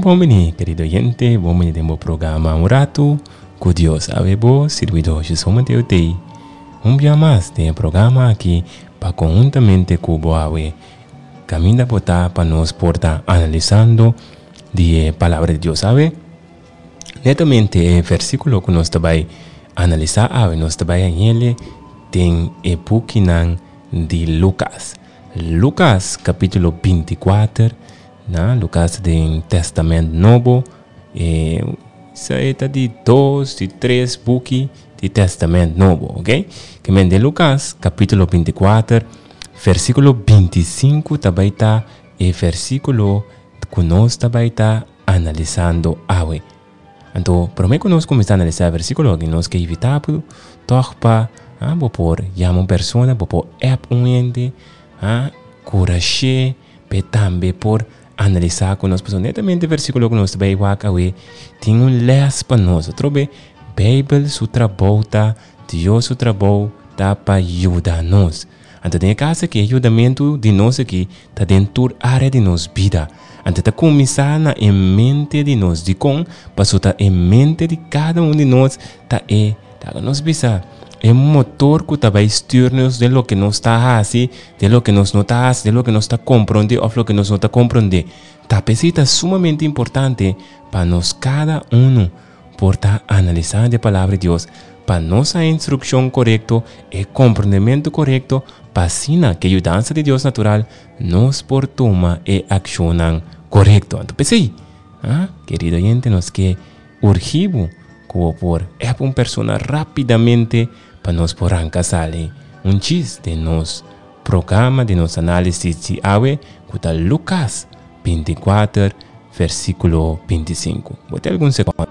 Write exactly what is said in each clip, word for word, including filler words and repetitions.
Bon bini, kerido oyente, bon bini den bo programa Un Ratu ku Dios. Awe bo sirbidó Jesús Mateo t'ei un bia mas den e programa aki pa konhuntamente ku bo awe kaminda bo ta pa nos por ta analisando di e Palabra di Dios. Awe netamente e versíkulo ku nos ta bai analisá awe nos ta bai hañ'el den e bukinan di Lukas. Lukas kapítulo binti kuater, na Lukas den Testament Nobo, e sa e ta di dos, di tres buki di Testament Nobo, ok? Ke men den Lukas kapítulo binti kuater, versíkulo binti sinku ta bai ta e versíkulo ku nos ta bai ta analisando awe. Anto, promé ku nos kuminsá analisá e versíkulo aki, nos ke invitá bo tòg pa ah, bo por yama un persona, bo por app un hende, ah, kurash'é p'e tambe por analisá ku nos. Pasobra netamente e versíkulo ku nos ta bai wak awe tin un lès pa nos. Atrobe, Beibel su trabou ta, Dios su trabou ta pa yuda nos. Anto den e kas aki e yudamentu di nos aki ta den tur área di nos bida. Anto ta kuminsá na e mente di nos. Dikon? Pasobra ta e mente di kada un di nos ta e, laga nos bisa, e motor ku ta bai stür nos den loke nos ta hasi, den loke nos no ta hasi, den loke nos ta komprondé òf loke nos no ta komprondé. Ta p'esei ta sumamente importante pa nos kada unu por ta analisando e Palabra di Dios pa nos haña instrukshon korekto, e komprondementu korekto, pa asina ku e yudansa di Dios natural nos por tuma e akshonnan korekto. Anto p'esei, ah, kerido oyente, nos ke urgi bo ku bo por èp un persona rápidamente pa nos por ranka sali un chis den nos programa, den nos análisis di awe ku ta Lukas binti kuater versíkulo binti sinku. Bo tin algun sekònde.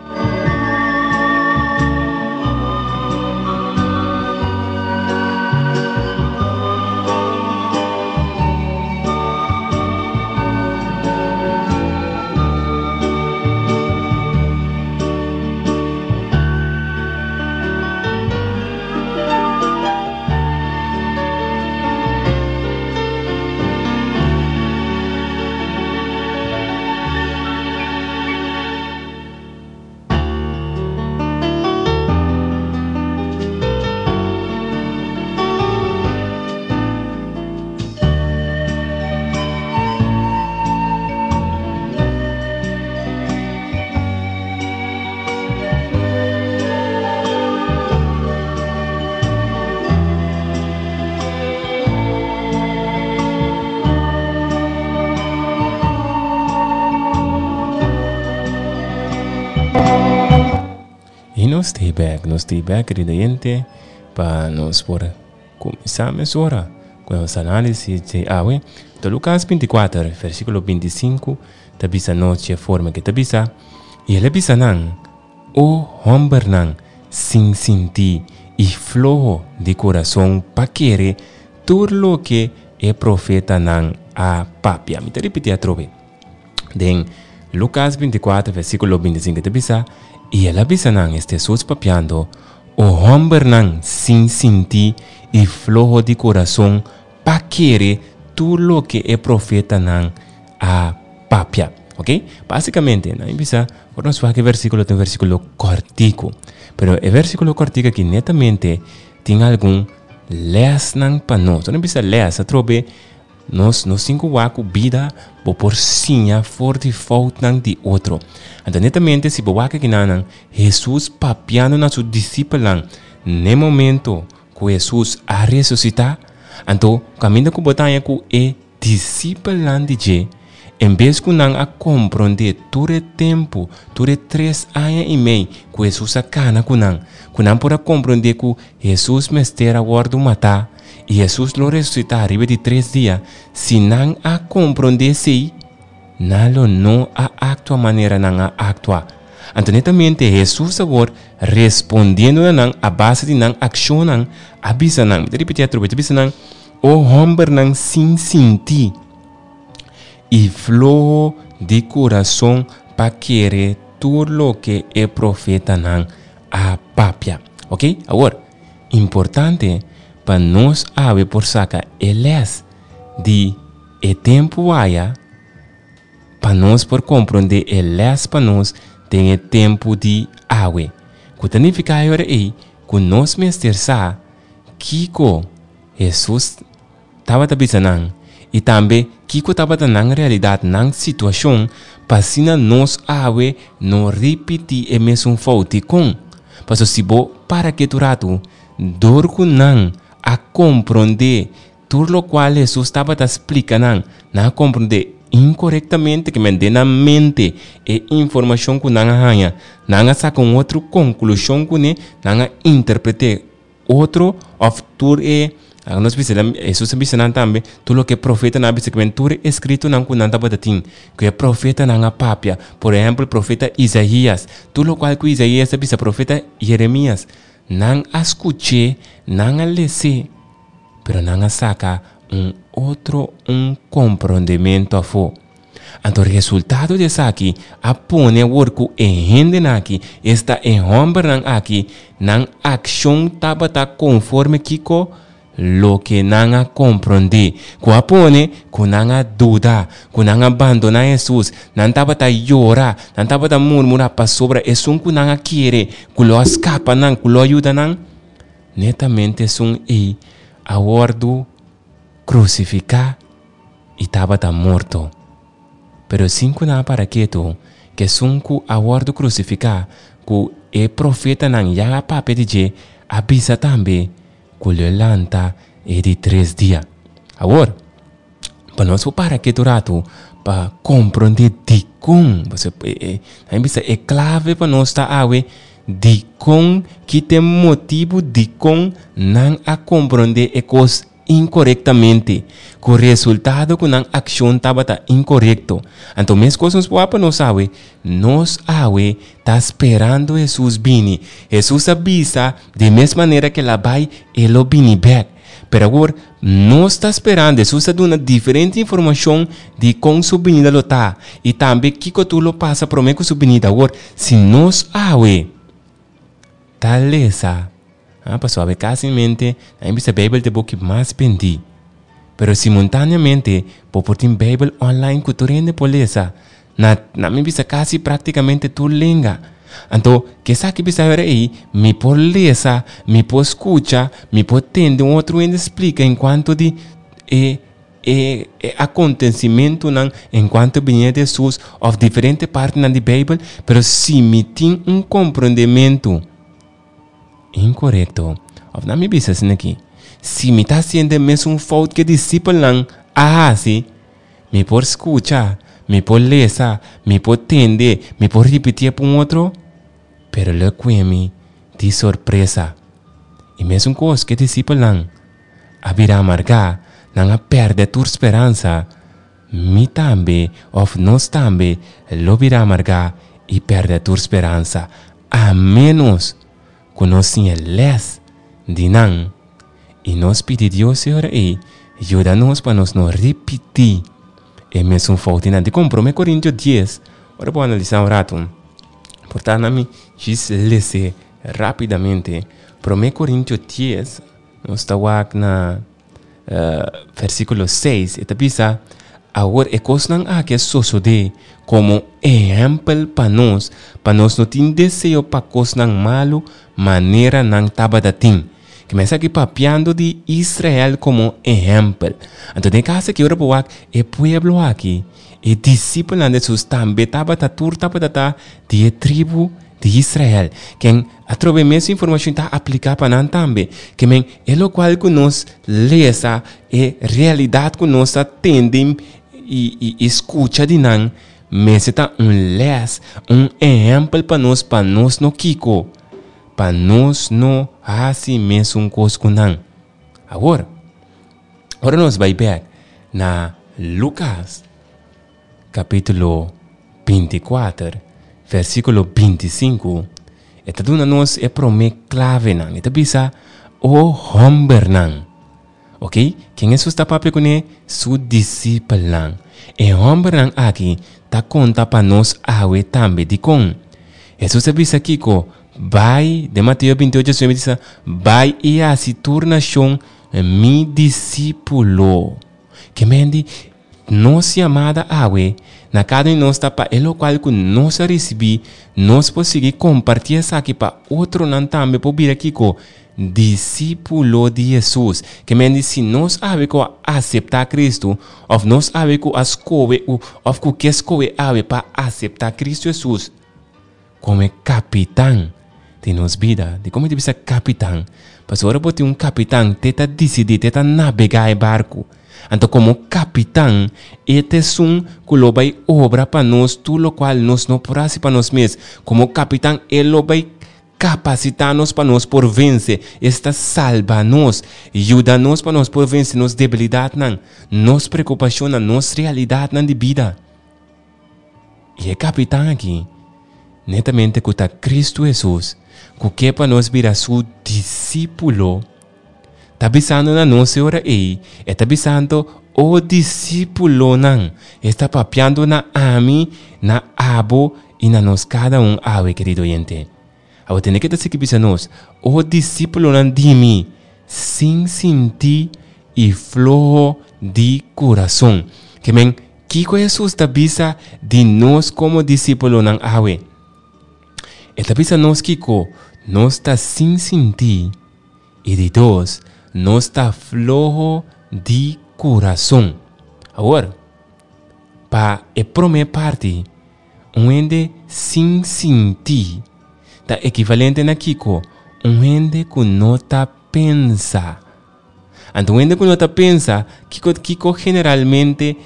I nos ta bek, nos ta bek, querido oyente, pa nos por kuminsá mesora ku nos análisis di awe. Ta Lukas binti kuater, versíkulo binti sinku, ta bisa nos dje forma ke ta bisa, I el a bisa nan, O hòmbernan sin sintí i floho di kurason pa kere tur loke e profetanan a papia. Mi ta ripití atrobe. Den Lukas binti kuater, versíkulo binti sinku ta bisa, I el a bisa nan, es Hesus papiando, O hòmbernan sin sintí i floho di kurason pa kere tur loke e profetanan a papia. Ok? Básikamente, nan a bisa, ora nos wak e versíkulo ta un versíkulo kòrtiku. Pero e versíkulo kòrtiku aki netamente tin algun lèsnan pa nos. Ora nos bisa lès, atrobe nos nos tin ku wak ku bida bo por siña for di foutnan di otro. Anto netamente si bo wak akinanan, Hesus papiando na su disipelnan n'e momento ku Hesus a resusitá, anto kaminda ku bo ta haña ku e disipelnan di dje, en bes ku nan a komprondé tur e tempu, tur e tres aña i mei ku Hesus a kana ku nan, ku nan por a komprondé ku Hesus mester a wòrdu matá i Hesus lo resusitá riba di tres dia, si nan a komprondé esei, nan lo no a aktua manera nan a aktua. Anto netamente Hesus awor, respondiendo na nan a base di nan akshonnan, a bisa nan, mi ta ripití atrobe, ta bisa nan, O hòmbernan sin sintí i floho di kurason pa kere tur loke e profetanan a papia. Ok, awor, importante pa nos awe por saka e lès di e tempu aya, Pa nos por komprondé e lès pa nos den e tempu di awe. Ku ta nifiká e ora ei ku nos mester sa kiko Hesus tabata bisa nan i tambe kiko tabata nan realidat, nan situashon, pa asina nos awe no ripití e mesun fout. Dikon? Pasobra si bo para ketu ratu, dor ku nan a komprondé tur lokual Hesus tabata splika nan, nan a komprondé inkorektamente, ke men den nan mente e informashon ku nan a haña, nan a saka un otro konklushon kuné, nan a interpret'é otro òf tur e, laga nos bisa, Hesus a bisa nan tambe, tur loke e profetanan a bisa, ke men tur e eskritonan ku nan tabata tin, ku e profetanan a papia, por ehèmpel profeta Isaías, tur lokual ku Isaías a bisa, profeta Jeremias, nan a skuch'é, nan a les'é, pero nan a saka un otro un komprondementu afó. Anto resultado di esaki a pone awor ku e hendenan aki, esta e hòmbernan aki, nan akshon tabata konforme kiko? Loke nan a komprondé, ku a pone ku nan a duda, ku nan a bandoná Hesus, nan tabata yora, nan tabata murmurá pasobra esun ku nan a kere ku lo a skapa nan, ku lo a yuda nan, netamente esun ei a wòrdu krusifiká i tabata morto. Pero sin ku nan a para ketu, ku esun ku a wòrdu krusifiká, ku e profetanan ya a papia di dje, a bisa tambe ku lo e lanta e di tres dia. Awor, pa nos por para ketu ratu pa komprondé dikon, pasobra e e bisa e klave pa nos ta awe, dikon, ki ta e motibu dikon nan a komprondé e kos inkorektamente, ku resultado ku nan akshon tabata inkorekto. Anto meskos nos por wak pa nos awe, nos awe ta sperando Hesus bini. Hesus a bisa di mes manera ku el a bai, e lo bini bèk. Pero awor, nos ta sperando, Hesus a duna diferente informashon di kon su binida lo ta, i tambe kiko tur lo pasa promé ku su binida. Awor, si nos awe ta lesa, Ah, pasobra awe kasimente nan bisa Beibel ta e buki mas bendí. Pero simultáneamente bo por tin Beibel online ku tur hende por lesa na, na mi bisa kasi práktikamente tur lenga. Anto, ke esaki bisa ora ei, mi por lesa, mi por skucha, mi por tende un otro hende splika en kuanto di e e e akontesimentunan en kuanto binia di Hesus òf diferente partinan di Beibel, pero si mi tin un komprondementu Inkorekto. Òf nan mi bisa asina aki, Si mi ta hasiendo e mesun fout ku e disipelnan a hasi, mi por skucha, mi por lesa, mi por tende, mi por ripitié pa un otro, pero lo e kue mi di sorpresa. E mesun kos ku e disipelnan a bira amargá, nan a pèrdè tur speransa, mi tambe, òf nos tambe, lo bira amargá i pèrdè tur speransa, a ménos ku nos siña lès di nan i nos pidi Dios e ora ei yuda nos pa nos no ripití e mesun foutinan. Dikon? Promé Korintio dies, ora bo analisá un ratu, por ta na mi djis les'é rápidamente. Promé Korintio dies, nos ta wak na Versíkulo seis, e ta bisa, Awor e kosnan aki a sosodé komo ehèmpel pa nos, pa nos no tin deseo pa kosnan malu manera nan tabata tin. Ke mester aki papiando di Israel komo ehèmpel. Anto den e kas aki ora bo wak e pueblo aki, e disipelnan di Hesus tambe tabata tur tabata ta di e tribu di Israel. Ken atrobe mes informashon ta apliká pa nan tambe. Ke men e lokual ku nos lesa, e realidat ku nos ta tende i i i skucha di nan, mester ta un lès, un ehèmpel pa nos pa nos no kiko, pa nos no hasi mesun kos ku nan. Awor, ora nos bai bèk na Lukas kapítulo binti kuater, versíkulo binti sinku, e ta duna nos e promé klavenan. E ta bisa, O hòmbernan. Oké, ken Hesus ta papia kuné? Su disipelnan. E hòmbernan aki ta konta pa nos awe tambe. Dikon? Hesus a bisa kiko? Bai, den Mateo binti ocho diecinuebe bisa, Bai i hasi tur nashon mi disípulo. Ke men di? Nos yamada awe na kada un di nos ta pa e lokual ku nos a risibí, nos por sigui kompartí esaki pa otronan tambe por bira kiko? Disípulo di Hesus. Ke men di si nos awe ku a aseptá Kristu, òf nos awe ku a skohe òf ku ke skohe awe pa aseptá Kristu Hesus komo e kapitan di nos bida. Dikon mi ta bisa kapitan? Pasobra ora bo tin un kapitan, te ta disidí, te ta nabegá e barku. Anto komo kapitan, e ta esun ku lo bai obra pa nos tur lokual nos no por hasi pa nos mes. Komo kapitan, e lo bai kapasitá nos pa nos por vense. Esta salba nos, yuda nos pa nos por vense nos debilidatnan, nos preokupashonnan, nos realidatnan di bida. I e kapitan aki, netamente ku ta Kristu Hesus, ku ke pa nos bira su disípulo, ta bisando na nos e ora ei, e ta bisando, O disípulonan, e ta papiando na ami, na abo i na nos kada un awe, kerido oyente. Abo tende ke ta sigui bisa nos, O disípulonan di mi, sin sintí i floho di kurason. Ke men, kiko Hesus ta bisa di nos komo disípulonan awe? E ta bisa nos kiko? Nos ta sin sintí. I di dos, nos ta floho di kurason. Awor, pa e promé parti, un hende sin sintí ta ekivalente na kiko? Un hende ku no ta pensa. Anto un hende ku no ta pensa, kiko kiko generalmente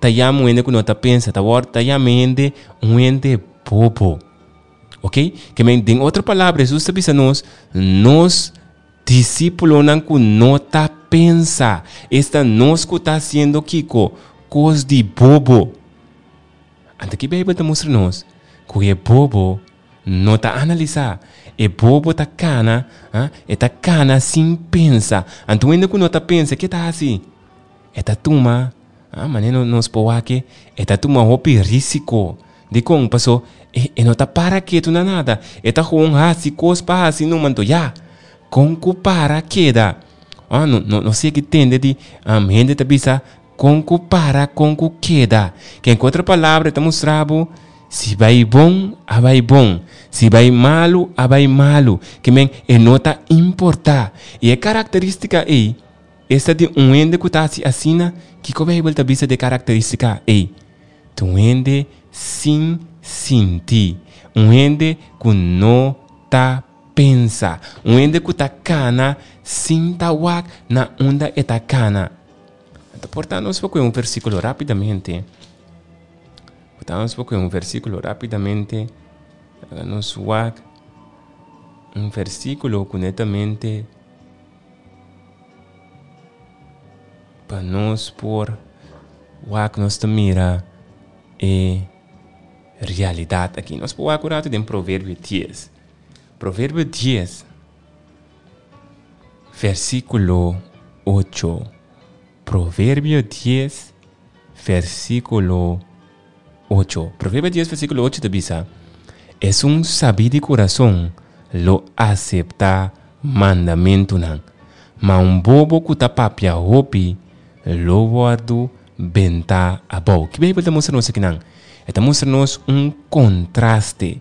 ta yama un hende ku no ta pensa? Ta wòrdu ta yama e hende un hende bobo. Ok? Ke men, den otro palabra, Hesus ta bisa nos, nos disípulonan ku no ta pensa, esta nos ku ta hasiendo kiko? Kos di bobo. Anto ki Beibel ta mustra nos? Ku e bobo no ta analisá. E bobo ta kana, ah, e ta kana sin pensa. Anto un hende ku no ta pensa, ke ta hasi? E ta tuma, ah, manera nos por wak e ta tuma hopi risiko. Dikon? Paso e, e no ta para ketu na nada. E ta gewoon hasi kos pa hasi numa. Anto ya, kon ku para keda? Ah, no, no, no sé ki tende di um, hende ta bisa kon ku para, kon ku keda. Ke en otro palabra ta mustra bo, si bai bon, a bai bon. Si bai malu, a bai malu. Ke men, e no ta importá. I e karakterístika ei, esta di un hende ku ta hasi asina, kiko Beibel ta bisa di e karakterístika ei? Ta un hende sin sinti, un hende ku no ta pensa, un hende ku ta kana sin ta wak na unda e ta kana. Anto por ta nos por kohe un versíkulo rápidamente. Por ta nos por kohe un versíkulo rápidamente. Laga nos wak un versíkulo ku netamente pa nos por wak nos ta mira e realidat aki. Nos por wak un ratu den Proverbio dies. Proverbio dies, versíkulo ocho. Proverbio dies, versíkulo ocho. Proverbio dies, versíkulo ocho ta bisa, Esun sabí di kurason lo aseptá mandamentunan, ma un bobo ku ta papia hopi lo wòrdu bentá abou. Ki Beibel ta mustra nos akinan? E ta mustra nos un kontraste.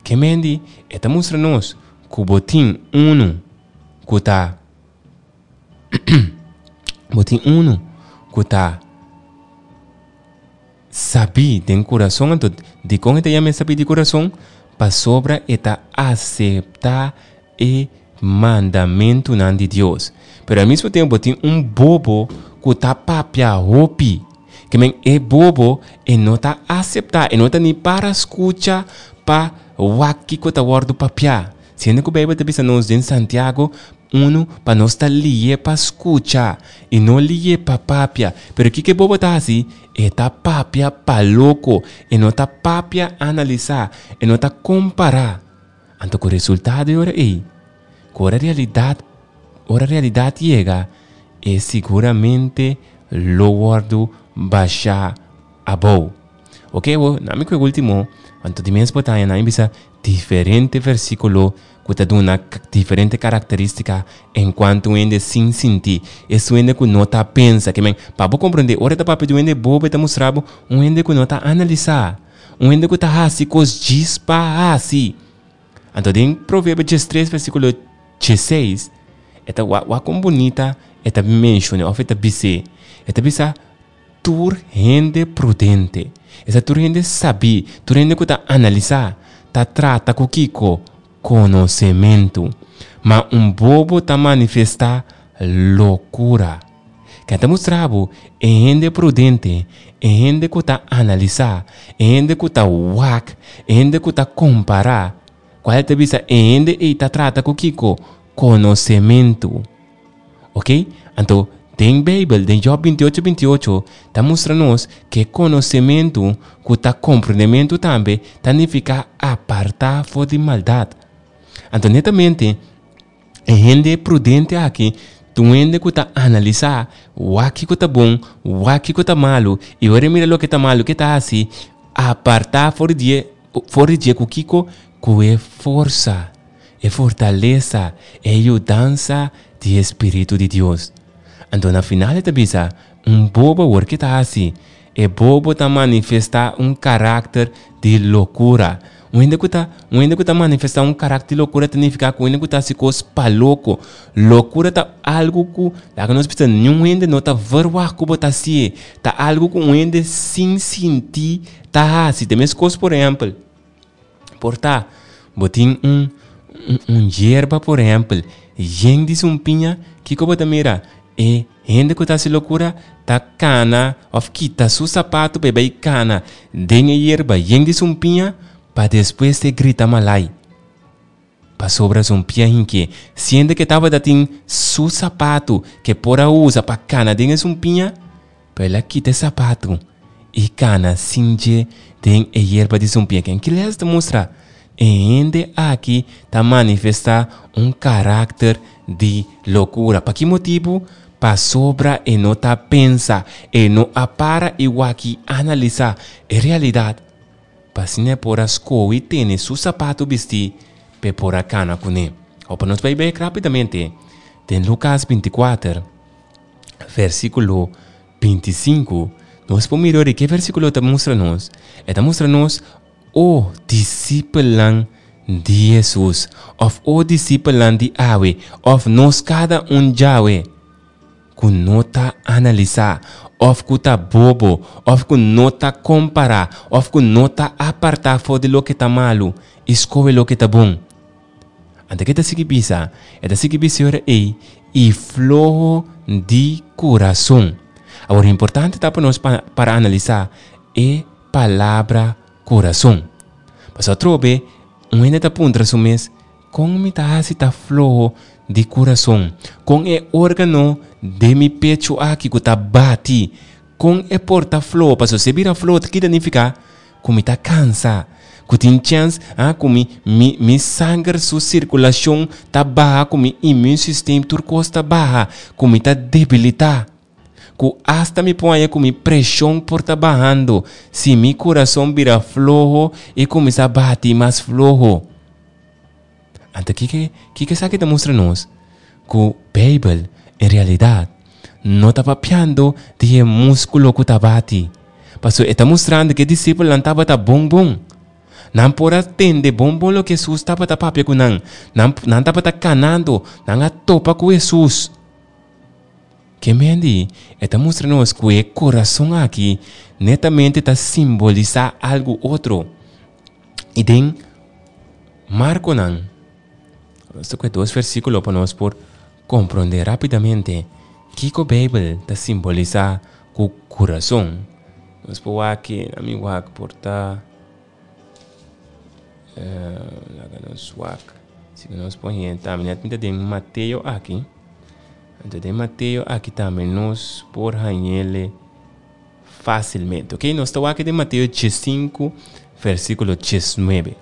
Ke men di? E ta mustra nos ku bo tin unu ku ta bo tin unu ku ta Sabí den kurason. Anto, dikon e ta yama e sabí di kurason? Pasobra e ta aseptá e mandamentunan di Dios. Pero al mismo tempu tin un bobo ku ta papia hopi. Ke men e bobo e no ta aseptá, e no ta ni para skucha pa wak kiko ta wòrdu papiá. Siendo ku Beibel ta bisa nos den Santiago unu pa nos ta lié pa skucha i no lié pa papia. Pero kiko e bobo ta hasi? E ta papia pa loko. E no ta papia analisá. E no ta kompará. Anto ku resultado e ora ei, ku ora realidat ora realidat yega, e siguramente lo wòrdu bashá abou. Oke, awor, na mi ku e último, anto di mes bo ta haña nan i bisa diferente versíkulo ku ta duna diferente karakterístika enkuanto un hende sin sinti. Esun hende ku no ta pensa. Ke men, pa bo komprondé, ora e ta papia di un hende bobo e ta mustra bo un hende ku no ta analisá, un hende ku ta hasi kos djis pa hasi. Anto den Proverbio diestres versíkulo diesseis e ta wak wak kon bunita e ta menshoné òf e ta bis'é. E ta bisa, Tur hende prudente, esta tur hende sabí, tur hende ku ta analisá, ta trata ku kiko? Konosementu. Ma un bobo ta manifestá lokura. Ken ta mustra bo e hende prudente, e hende ku ta analisá, e hende ku ta wak, e hende ku ta kompará? Kual ta bisa e hende ei ta trata ku kiko? Konosementu. Ok? Anto, den Beibel, den Jòb binti ocho binti ocho, ta mustra nos ku e konosementu, ku ta komprendementu tambe, ta nifiká apartá for di maldat. Anto, netamente, e hende prudente aki ta un hende ku ta analisá wak kiko ta bon, wak kiko ta malu, i ora e mira loke ta malu, ke ta hasi? Apartá for di dje, for di dje ku kiko? Ku e forsa, e fortalesa, e yudansa di e Spiritu di Dios. Anto na final e ta bisa, Un bobo awor ke ta hasi? E bobo ta manifestá un karakter di lokura. Un hende ku ta un hende ku ta manifestá un karakter di lokura ta nifiká ku un hende ku ta hasi kos pa loko. Lokura ta algu ku laga nos bisa niun hende no ta verwagt ku bo ta hasié. Ta algu ku un hende sin sinti ta hasi. Ta meskos por ehèmpel. Por ta bo tin un un yerba por ehèmpel yen di sumpiña, kiko bo ta mira? E hende ku ta hasi lokura ta kana òf kita su sapatu pa e bai kana den e yerba yen di sumpiña pa despues e grita malai pasobra sumpiña hink'é. Siendo ke tabata tin su sapatu ke por a usa pa kana den e sumpiña, pero el a kita e sapatu i kana sin dje den e yerba di sumpiña. Ken ki lès ta mustra? E hende aki ta manifestá un karakter di lokura. Pa ki motibu? Pasobra e no ta pensa, e no a para i wak i analisá e realidat pa asina e por a skohe i tene su sapatu bistí pa e por a kana kuné. Awor pa nos bai bek rápidamente den Lukas binti kuater, versíkulo binti i sinku, nos por mira ora ke versíkulo ta mustra nos. E ta mustra nos O disipelnan di Hesus, òf o disipelnan di awe, òf nos kada un djawe, ku no ta analisá, òf ku ta bobo, òf ku no ta kompará, òf ku no ta apartá for di loke ta malu i skohe loke ta bon. Anto ke ta sigui bisa? E ta sigui bisa e ora ei, i floho di kurason. Awor, importante ta pa nos para analisá e palabra kurason. Pasobra atrobe un hende ta puntra su mes, Kon mi ta hasi ta floho di kurason? Kon e órgano den mi pechu aki ku ta bati, kon e por ta floho? Pasobra si e bira floho ta kita nifiká ku mi ta kansa, ku tin chèns ah ku mi mi mi sanger su sirkulashon ta baha, ku mi immuunsysteem tur kos ta baha, ku mi ta debilitá. Ku asta mi por haña ku mi preshon por ta bahando si mi kurason bira floho i kuminsá bati mas floho. Anto kiko kiko esaki ta mustra nos? Ku Beibel en realidat no ta papiando di e múskulo ku ta bati, pasobra e ta mustrando ku e disipelnan tabata bon bon. Nan por a tende bon bon loke Hesus tabata papia ku nan. Nan nan tabata kanando, nan a topa ku Hesus. Ke mendi e ta mustra nos ku e kurason aki netamente ta simbolisá algu otro. I den Markonan, nos ta kue dos versíkulo pa nos por komprondé rápidamente kiko Beibel ta simbolisá ku kurason. Nos por wak, ami wak por ta. Laga nos wak. Si nos por hende tambe net mi ta den Mateo aki. Anto den Mateo aki tambe nos por hañele fácilmente. Ok, nos ta wak den Mateo diesinku versíkulo diesnuebe.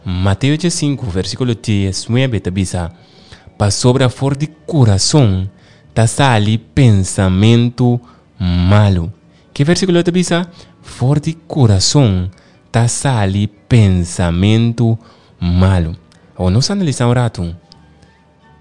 Mateo diesinku versíkulo diesnuebe ta bisa, Pasobra for di kurason ta sali pensamentu malu. Ke versíkulo ta bisa? For di kurason ta sali pensamentu malu. Awor nos analisá un ratu.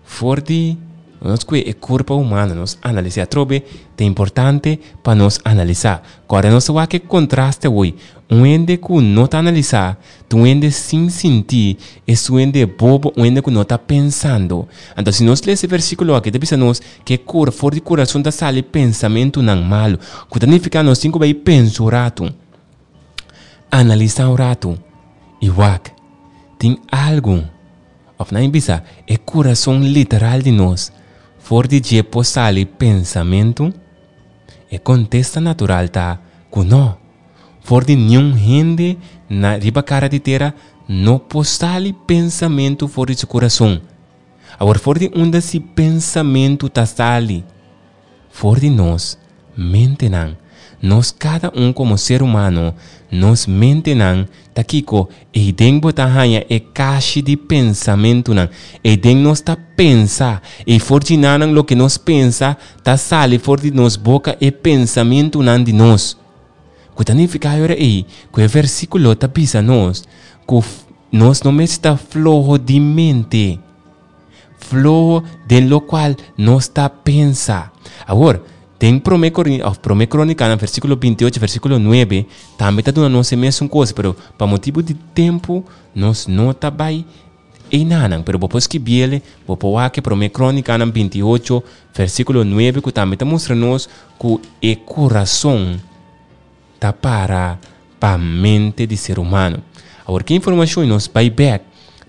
For di nos kue e kurpa humano, nos analisá atrobe, ta importante pa nos analisá. Kòrda nos wak e kontraste awor. Un hende ku no ta analisá, ta un hende sin sintí, es un hende bobo, un hende ku no ta pensando. Anto si nos lesa e versíkulo aki, ta bisa nos ku e kura, for di kurason ta sali pensamentunan malu, ku ta nifiká nos tin ku bai pensa un ratu, analisá un ratu i wak, tin algu, òf nan bisa, e kurason literal di nos, for di dje por sali pensamentu? E kontesta natural ta ku no. For di niun hende na riba kara di tera no por sali pensamentu for di su kurason. Awor for di unda si pensamentu ta sali? For di nos mentenan. Nos kada un komo ser humano, nos mentenan ta kiko? Eiden bo ta haña e kashi di pensamentunan. Eiden nos ta pensa. I for di nanan loke nos pensa ta sali for di nos boka e pensamentunan di nos. Ku ta nifiká e ora ei ku e versíkulo ta bisa nos ku nos no mester ta floho di mente. Floho den lokual nos ta pensa. Awor, den Promé Korin, òf Promé Krónikanan, versíkulo binti ocho, versíkulo nuebe, tambe ta duna nos e mesun kos, pero pa motibu di tempu nos no ta bai einanan. Pero bo por skibiel, bo por wak e Promé Krónikanan binti ocho, versíkulo nuebe, ku tambe ta mustra nos ku e kurason ta para pa mente di ser humano. Awor, ki informashon nos bai bèk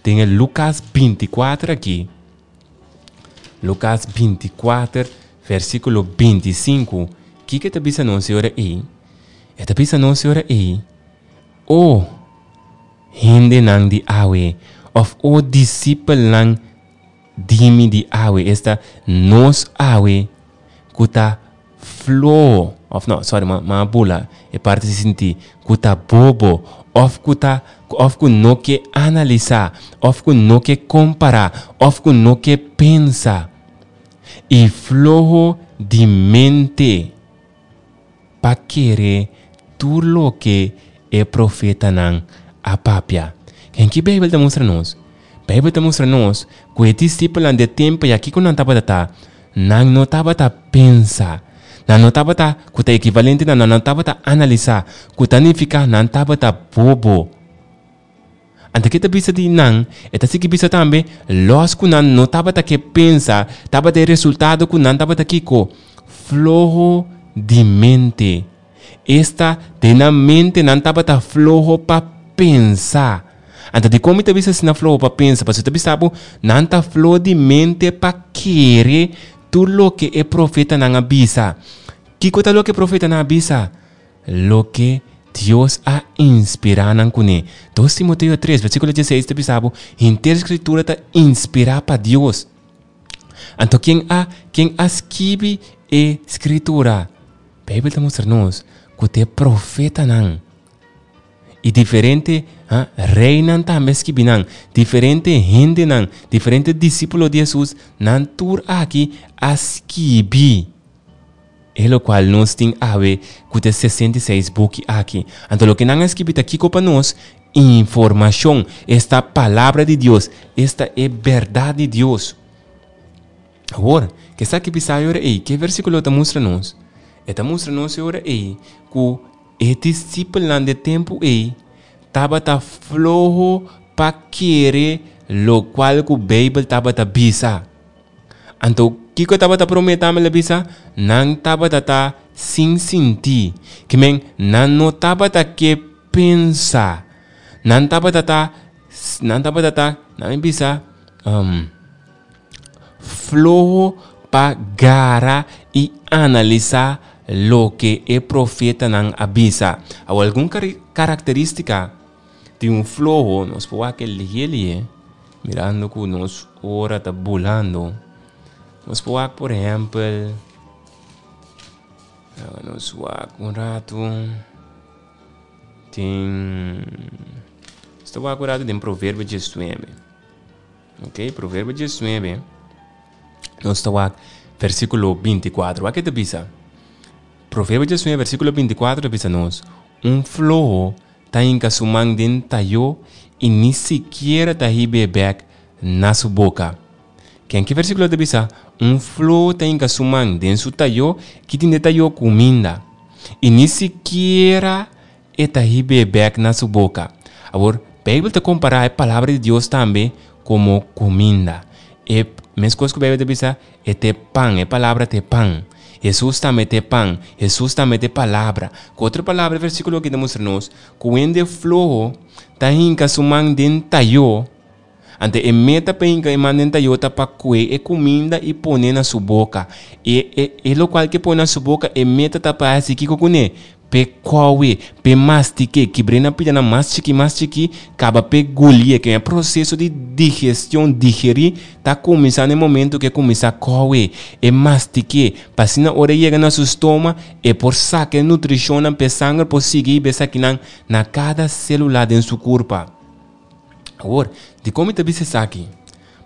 den e Lukas binti kuater aki? Lukas binti kuater, versíkulo binti sinku, kiko e ta bisa nos e ora ei? E ta bisa nos e ora ei, O hendenan di awe, òf o disipelnan di mi di awe, esta nos awe ku ta floho, òf no, sòri, mi a bula e parti di sinti, ku ta bobo, òf ku ta, òf ku no ke analisá, òf ku no ke kompará, òf ku no ke pensa, i floho di mente pa kere tur loke e profetanan a papia. Ken ki Beibel ta mustra nos? Beibel ta mustra nos ku e disipelnan di e tempu ya kiko nan tabata ta? Nan no tabata pensa. Nan no tabata, ku ta ekivalente na nan no tabata analisá, ku ta nifiká nan tabata bobo. Anto ke ta bisa di nan? E ta sigui bisa tambe, lòs ku nan no tabata ke pensa, tabata e resultado ku nan tabata kiko? Floho di mente. Esta, den nan mente nan tabata floho pa pensa. Anto dikon mi ta bisa asina floho pa pensa? Pasobra ta bisa bo, nan ta floho di mente pa kere tur loke e profetanan a bisa. Kiko ta loke e profetanan a bisa? Loke Dios a inspirá nan kuné. Dos Timoteo tres, versíkulo dieseis ta bisa bo, henter Skritura ta inspirá pa Dios. Anto ken a ken a skibi e Skritura? Beibel ta mustra nos ku ta e profetanan i diferente ha reinan tambe a skibi nan, diferente hendenan, diferente disípulo di Hesus, nan tur aki a skibi e lokual nos tin awe ku ta e sesenta i seis buki aki. Anto loke nan a skibi ta kiko pa nos? Informashon, esta palabra di Dios, esta e bèrdat di Dios. Awor, ke sa ki bisa e ora ei? Ke versíkulo ta mustra nos? E ta mustra nos e ora ei ku e disipelnan di e tempu ei tabata floho pa kere lokual ku Beibel tabata bisa. Anto, kiko e tabata promé tambe el a bisa? Nan tabata ta sin sintí. Ke men, nan no tabata ke pensa. Nan tabata ta, nan tabata ta, nan a bisa, Floho pa gara i analisá loke e profetanan a bisa. Awor algun karakterístika di un floho, nos por wak e lihé lihé, mirando ku nos ora ta bulando. Nos por wak por ehèmpel, nos wak un ratu den, nos ta wak un ratu den Proverbio diesnuebe. Ok, Proverbio diesnuebe, nos ta wak versíkulo binti kuater. Wak ke ta bisa? Proverbio diesnuebe, versíkulo binti kuater ta bisa nos, Un floho ta hinka su man den tayó i ni sikiera ta hib'é bèk Na su boka. Ken ki versíkulo ta bisa? Un floho ta hinka su man den su tayó, ki tin den tayó? Kuminda. I ni sikiera e ta hib'é bèk na su boka. Awor, Beibel ta kompará e Palabra di Dios tambe komo kuminda. E meskos ku Beibel ta bisa, e ta e pan, e Palabra ta e pan. Hesus tambe ta e pan, Hesus tambe ta e Palabra. Ku otro palabra, e versíkulo aki ta mustra nos ku hende floho ta hinka su man den tayó. Anto e meta pa hinka e man den tayó ta pa kue e kuminda i pone na su boka. E e e lokual ke pone na su boka, e meta ta pa hasi kiko kuné? P'e kowe, p'e mastik'é, kibr'é na pidanan mas chikí mas chikí, kaba p'e gulié. Ke e proseso di digestion, digerí, ta kuminsá na e momento ku e kuminsá kowe, e mastik'é, pa asina ora e yega na su stoma, e por saka e nutrishonnan p'e sanger por sigui hiba esakinan na kada sélula den su kurpa. Awor, dikon mi ta bisa esaki?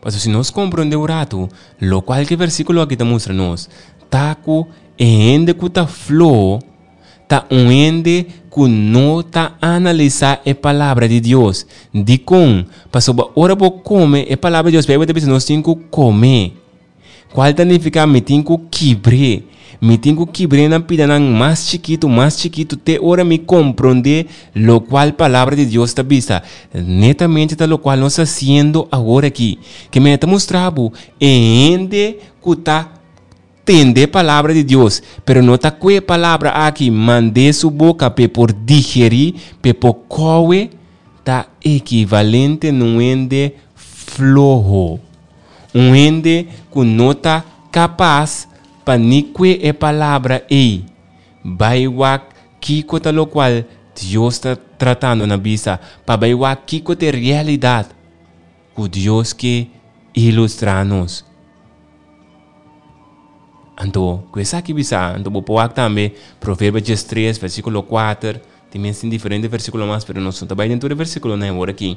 Pasobra si nos komprondé un ratu lokual ku e versíkulo aki ta mustra nos, ta ku e hende ku ta floho ta un hende ku no ta analisá e Palabra di Dios. Dikon? Pasobra ora bo kome e Palabra di Dios, Beibel ta bisa nos tin ku kom'é. Kual ta nifiká mi tin ku kibr'é. Mi tin ku kibr'é na pidanan mas chikitu, mas chikitu, te ora mi komprondé lokual Palabra di Dios ta bisa. Netamente ta lokual nos ta hasiendo awor aki. Ke mi ta mustra bo e hende ku ta tende Palabra di Dios, pero no ta kue e Palabra aki mand'é su boka p'e por digerí, p'e por kowe, ta ekivalente na un hende floho. Un hende ku no ta kapas pa ni kue e palabra ei, bai wak kiko ta lokual Dios ta tratando na bisa, pa bai wak kiko ta e realidat ku Dios ke ilustrá nos. Anto, ku esaki bisa, anto bo por wak tambe Proverbio dies tres, versíkulo kuater, tin mes tin diferente versíkulo mas, pero nos no ta bai den tur e versíkulonan awor aki.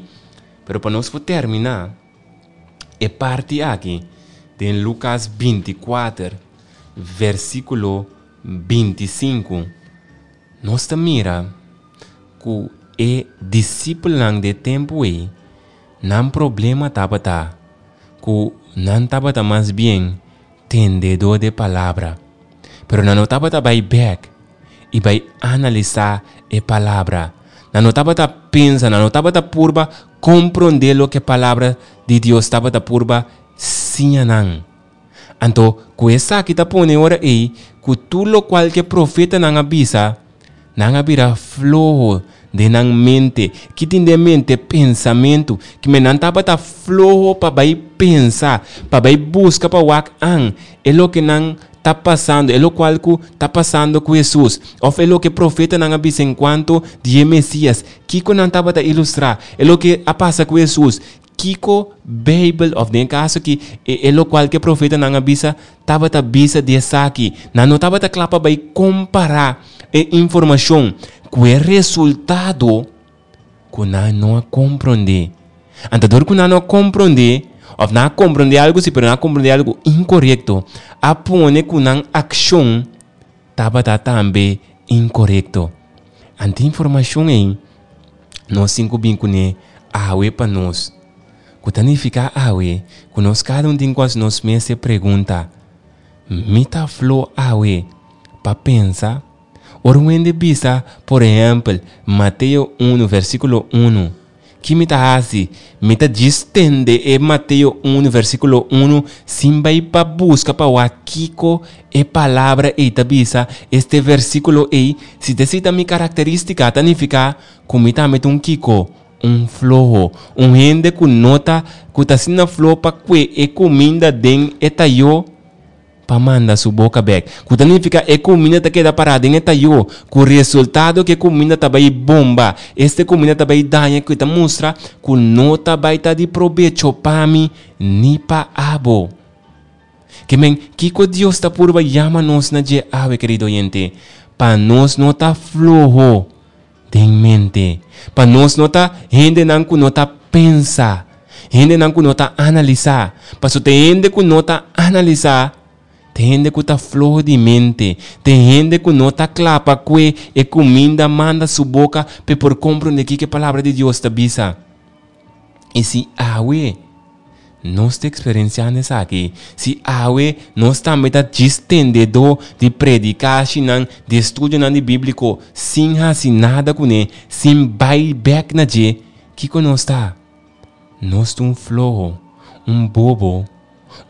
Pero pa nos por terminá, E parti aki den Lukas binti kuater, versíkulo binti sinku, nos ta mira ku e disipelnan di e tempu ei, nan problema tabata ku nan tabata mas bien tendedó di e palabra, pero nan no tabata bai bèk i bai analisá e palabra. Nan no tabata pensa, nan no tabata purba komprondé loke e Palabra di Dios tabata purba siña nan. Anto, ku esaki ta pone ora ei ku tur lokual ku e profetanan a bisa, nan a bira floho den nan mente. Ki tin den mente? Pensamentu. Kimen nan tabata floho pa bai pensa, pa bai buska pa wak an e loke nan ta pasando, e lokual ku ta pasando ku Hesus, òf e loke profetanan a bisa enkuanto di e Mesias. Kiko nan tabata ilustrá? E loke a pasa ku Hesus. Kiko Beibel, òf den e kaso aki, e e lokual ku e profetanan a bisa, tabata bisa di esaki? Nan no tabata kla pa bai kompará e informashon ku e resultado ku nan no a komprondé. Anto dor ku nan no a komprondé, òf nan a komprondé algu si, pero nan a komprondé algu inkorekto, a pone ku nan akshon tabata tambe inkorekto. Anto e informashon ei nos tin ku bin kuné awe pa nos, ku ta nifiká awe ku nos kada un tin ku hasi nos mes e pregunta, Mi ta flo awe pa pensa? Ora un hende bisa, por ehèmpel, Mateo unu versíkulo unu, ki mi ta hasi? Mi ta djis tende e Mateo unu versíkulo unu sin bai pa buska pa wak kiko e palabra ei ta bisa, este versíkulo ei. Si ta esei ta mi karakterístika, ta nifiká ku mi tambe ta un kiko? Un floho. Un hende ku no ta ku ta asina floho pa kue e kuminda den e tayó pa manda su boka bek. Ku ta nifiká e kuminda ta keda pará den e tayó, ku resultado ku e kuminda ta bai bomba. Este kuminda ta bai daña ku ta mustra ku no ta bai ta di probecho pa mi ni pa abo. Ke men, kiko Dios ta purba yama nos na dje awe, kerido oyente? Pa nos no ta floho den mente. Pa nos no ta hendenan ku no ta pensa, hendenan ku no ta analisá. Pasobra ta e hende ku no ta analisá, ta e hende ku ta floho di mente, ta e hende ku no ta kla pa kue e kuminda manda su boka pa e por komprondé kiko e Palabra di Dios ta bisa. I si awe nos ta eksperensiando esaki, si awe nos tambe ta djis tendedó di predikashinan, di estudionan di bíbliko, sin hasi nada kuné, sin bai bèk na dje, kiko nos ta? Nos ta un floho, un bobo,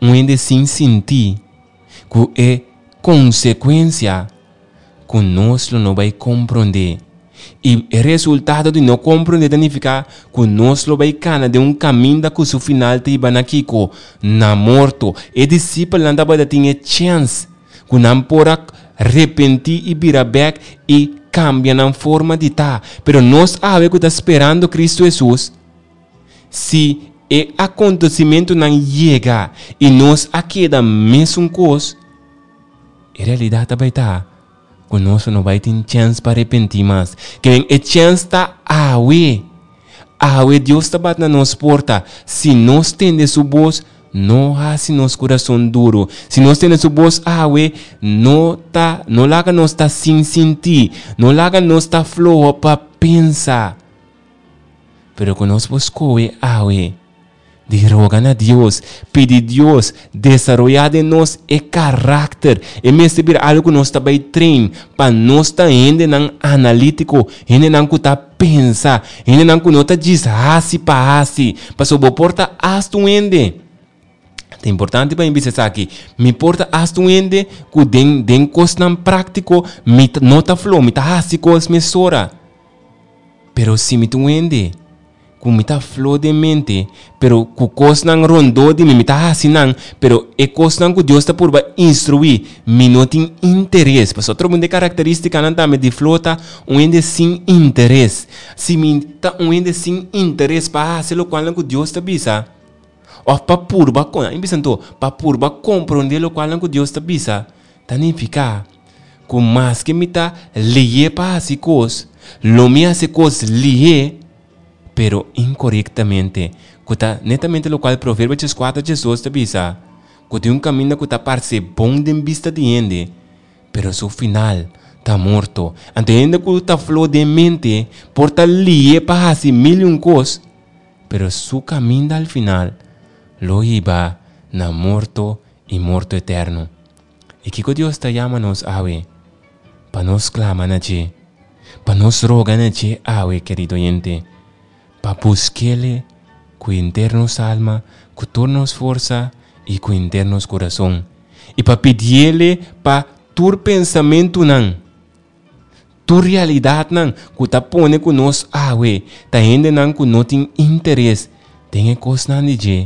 un hende sin sintí, ku e konsekuensia ku nos lo no bai komprondé. I e resultado di no komprondé ta nifiká ku nos lo bai kana den un kaminda ku su final ta hiba na kiko? Na morto. E disipelnan tabata tin e chèns ku nan por a repentí i bira bèk i kambia nan forma di ta. Pero nos awe ku ta sperando Kristu Hesus, si e akontesimentunan yega i nos a keda mesun kos, e realidat ta bai ta ku nos no bai tin chèns pa arepentí mas. Ke men e chèns ta awe. Awe Dios ta bat na nos porta. Si nos tende su bos, no hasi nos kurason duru. Si nos tende su bos awe, no ta, no laga nos ta sin sintí, no laga nos ta floho pa pensa. Pero ku nos por skohe awe di roga na Dios, pidi Dios desaroyá den nos e karakter. E mester bira algu ku nos ta bai train pa nos ta hendenan analítiko, hendenan ku ta pensa, hendenan ku no ta djis hasi pa hasi. Pasobra bo por ta asta un hende, ta importante pa mi bisa esaki, mi por ta asta un hende ku den den kosnan práktiko mi no ta floho, mi ta hasi kos mesora. Pero si mi ta un hende ku mi ta flo den mente, pero ku kosnan rondó di mi, mi ta hasi nan, pero e kosnan ku Dios ta purba instruí, mi no tin interes. Pasobra otro un di e karakterístikanan tambe di flo ta un hende sin interes. Si mi ta un hende sin interes pa hasi lokualnan ku Dios ta bisa, òf pa purba, a bisa anto, pa purba komprondé lokualnan ku Dios ta bisa, ta nifiká ku maske mi ta lihé pa hasi kos, lo mi hasi kos lihé, pero inkorektamente, ku ta netamente lokual Proverbio dieskuater diesdos ta bisa, ku tin un kaminda ku ta parse bon den bista di hende, pero su final ta morto. Anto e hende ku ta flo den mente por ta lihé pa hasi mil i un kos, pero su kaminda al final lo hiba na morto i morto eterno. I kiko Dios ta yama nos awe? Pa nos klama na dje, pa nos roga na dje awe, kerido oyente, pa busk'Ele ku henter nos alma, ku tur nos forsa i ku henter nos kurason, i pa pidi'Ele pa tur pensamentunan, tur realidatnan ku ta pone ku nos awe ta hendenan ku no tin interes den e kosnan di dje.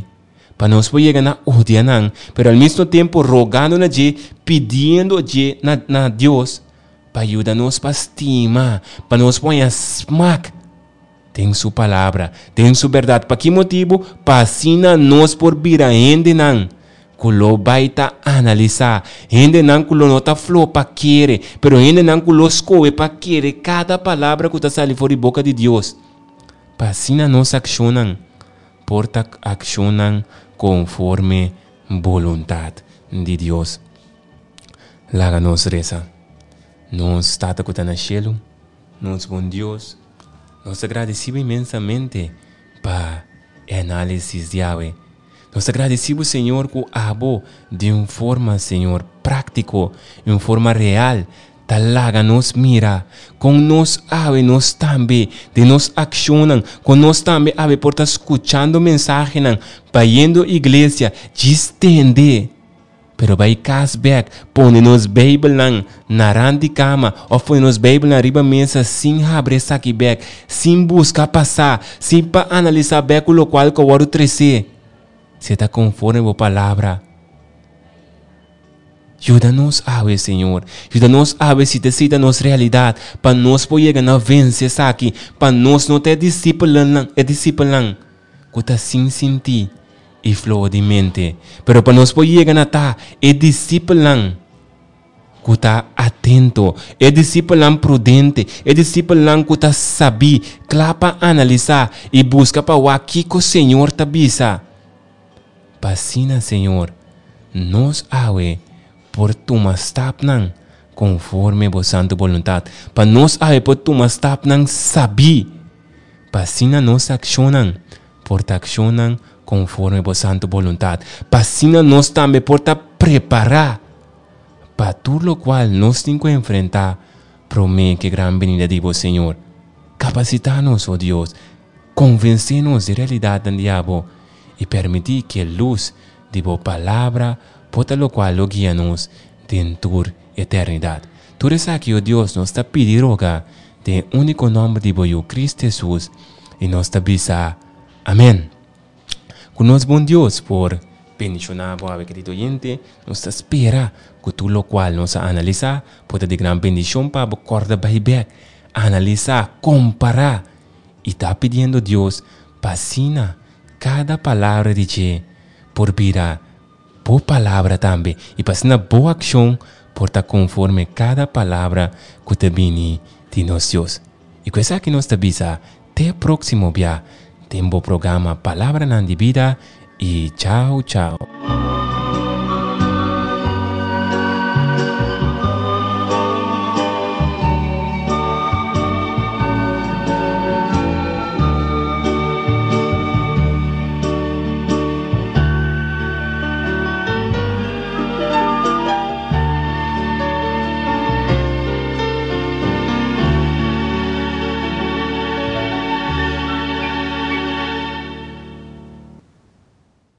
Pa nos por yega na odia nan, pero al mismo tempo rogando na dje, pidiendo dje na, na Dios pa yuda nos pa stima, pa nos por haña smak den su palabra, den su berdad. Pa ki motibu? Pa asina nos por bira hendenan ku lo bai ta analisá, hendenan ku lo no ta flo pa kere, pero hendenan ku lo skohe pa kere kada palabra ku ta sali for di boka di Dios. Pa asina nos akshonnan por ta akshonnan konforme boluntat di Dios. Laga nos resa. Nos Tata ku ta na shelu, nos bon Dios, nos ta gradisí bo inmensamente pa e análisis di awe. Nos ta gradisí bo, Señor, ku abo di un forma, Señor, práktiko, di un forma real, Ta laga nos mira kon nos awe nos tambe den nos akshonnan, kon nos tambe awe por ta skuchando mensahenan, bayendo iglesia, djis tende, pero bai kas bek, pone nos beibelnan na rand di kama òf pone nos beibelnan riba mesa sin habri esaki bek, sin buska pasá, sin pa analisá bek ku lokual ku a wòrdu tresé, si e ta konforme bo palabra. Yuda nos awe, Señor. Yuda nos awe si ta esei ta nos realidat, pa nos por yega na vense esaki, pa nos no ta e disipelnan, e disipelnan ku ta sin sintí i floho di mente, pero pa nos por yega na ta e disipelnan ku ta atento, e disipelnan prudente, e disipelnan ku ta sabí, kla pa analisá i buska pa wak kiko Señor ta bisa. Pa asina, Señor, nos awe por tuma stapnan konforme bo santu boluntat, pa nos awe por tuma stapnan sabí, pa asina nos akshonnan por ta akshonnan konforme bo santu boluntat, pa asina nos tambe por ta prepará pa tur lokual nos tin ku enfrentá promé ku e gran benida di bo Señor. Kapasitá nos, o Dios, konvensé nos di e realidatnan di abo i permití ku e lus di bo Palabra por ta lokual lo guia nos den tur eternidat. Tur esaki, o Dios, nos ta pidi i roga den e úniko nòmber di bo Yu, Kristu Hesus, i nos ta bisa, Amèn. Ku nos bon Dios por bendishoná bo awe, kerido oyente. Nos ta spera ku tur lokual nos a analisá por ta di gran bendishon pa bo. Kòrda bai bèk, analisá, kompará i ta pidiendo Dios pa asina kada palabra di dje por bira bo palabra tambe i pa asina bo akshon por ta konforme kada palabra ku ta bini di nos Dios. I ku esaki nos ta bisa te próksimo bia den bo programa Palabranan di Bida i chao chao.